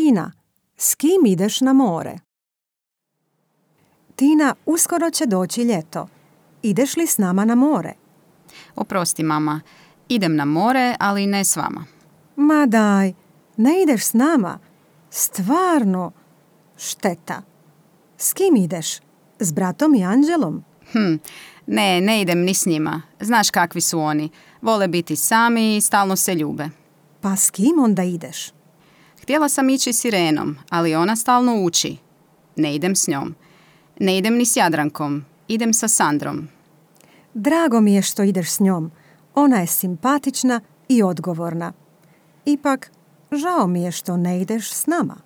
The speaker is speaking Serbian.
Tina, s kim ideš na more? Tina, uskoro će doći ljeto. Ideš li s nama na more? Oprosti, mama. Idem na more, ali ne s vama. Ma daj, ne ideš s nama? Stvarno, šteta. S kim ideš? S bratom i Anđelom? Ne idem ni s njima. Znaš kakvi su oni. Vole biti sami i stalno se ljube. Pa s kim onda ideš? Htjela sam ići s Irenom, ali ona stalno uči. Ne idem s njom. Ne idem ni s Jadrankom. Idem sa Sandrom. Drago mi je što ideš s njom. Ona je simpatična i odgovorna. Ipak, žao mi je što ne ideš s nama.